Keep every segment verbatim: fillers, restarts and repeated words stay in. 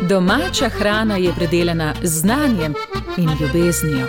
Domača hrana je predelana z znanjem in ljubeznijo.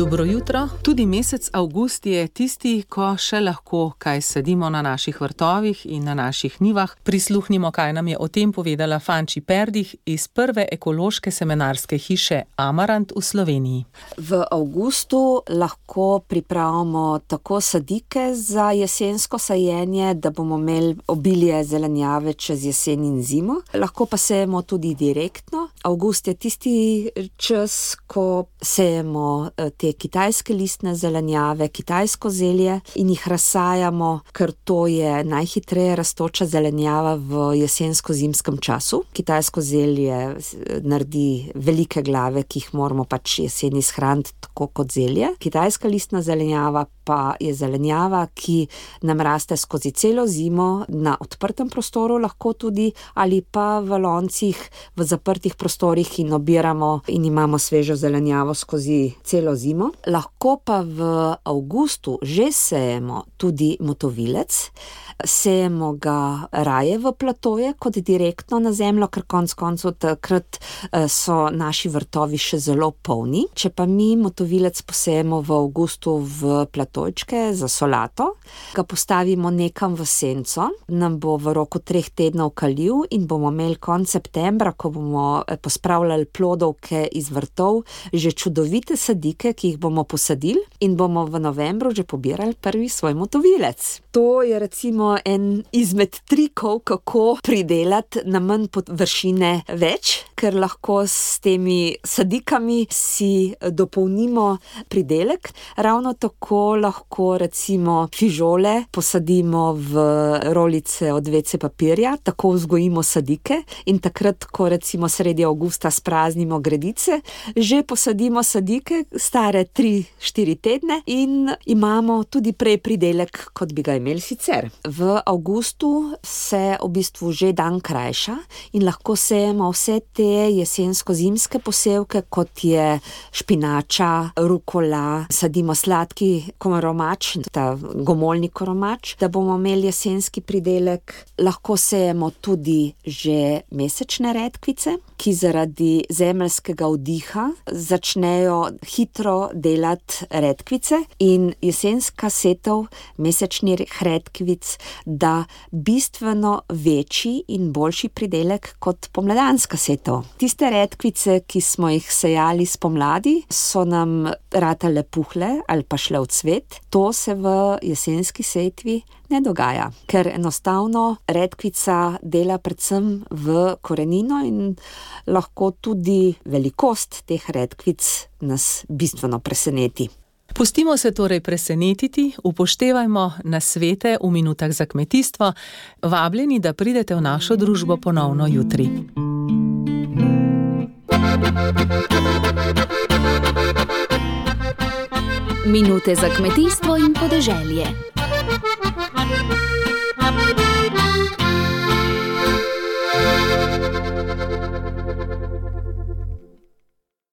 Dobro jutro. Tudi mesec avgust je tisti, ko še lahko kaj sadimo na naših vrtovih in na naših njivah. Prisluhnimo, kaj nam je o tem povedala Fanči Perdih iz prve ekološke semenarske hiše Amarant v Sloveniji. V avgustu lahko pripravimo tako sadike za jesensko sajenje, da bomo imeli obilje zelenjave čez jesen in zimo. Lahko pa sejemo tudi direktno. Avgust je tisti čas, ko sejemo te kitajske listne zelenjave, kitajsko zelje in jih razsajamo, ker to je najhitreje rastoča zelenjava v jesensko-zimskem času. Kitajsko zelje naredi velike glave, ki jih moramo pač jeseni shraniti tako kot zelje. Kitajska listna zelenjava pa je zelenjava, ki nam raste skozi celo zimo na odprtem prostoru, lahko tudi, ali pa v loncih, v zaprtih prostorih in obiramo in imamo svežo zelenjavo skozi celo zimo. Lahko pa v avgustu že sejemo tudi motovilec. Sejemo ga raje v platoje kot direktno na zemljo, ker konec koncev takrat so naši vrtovi še zelo polni. Če pa mi motovilec posejemo v avgustu v platojčke za solato, ga postavimo nekam v senco, nam bo v roku treh tednov kalil in bomo imeli konec septembra, ko bomo pospravljali plodovke iz vrtov, že čudovite sadike, ki jih bomo posadili in bomo v novembru že pobirali prvi svoj motovilec. To je recimo en izmed trikov, kako pridelati na manj površine več, ker lahko s temi sadikami si dopolnimo pridelek. Ravno tako lahko recimo fižole posadimo v rolice od ve ce papirja, tako vzgojimo sadike in takrat, ko recimo sredi avgusta spraznimo gredice, že posadimo sadike stare tri štiri tedne in imamo tudi prej pridelek, kot bi ga imeli sicer. V avgustu se v bistvu že dan krajša in lahko sejemo vse te jesensko-zimske posevke, kot je špinača, rukola, sadimo sladki koromač, ta gomoljni koromač, da bomo imeli jesenski pridelek. Lahko sejemo tudi že mesečne redkvice, ki zaradi zemeljskega vdiha začnejo hitro delati redkvice in jesenska setev mesečnih redkvic da bistveno večji in boljši pridelek kot pomladanska setev. Tiste redkvice, ki smo jih sejali spomladi, so nam ratale puhle ali pa šle v cvet. To se v jesenski setvi ne dogaja, ker enostavno redkvica dela predvsem v korenino in lahko tudi velikost teh redkvic nas bistveno preseneti. Pustimo se torej presenetiti, upoštevajmo nasvete v minutah za kmetijstvo. Vabljeni, da pridete v našo družbo ponovno jutri. Minute za kmetijstvo in podeželje.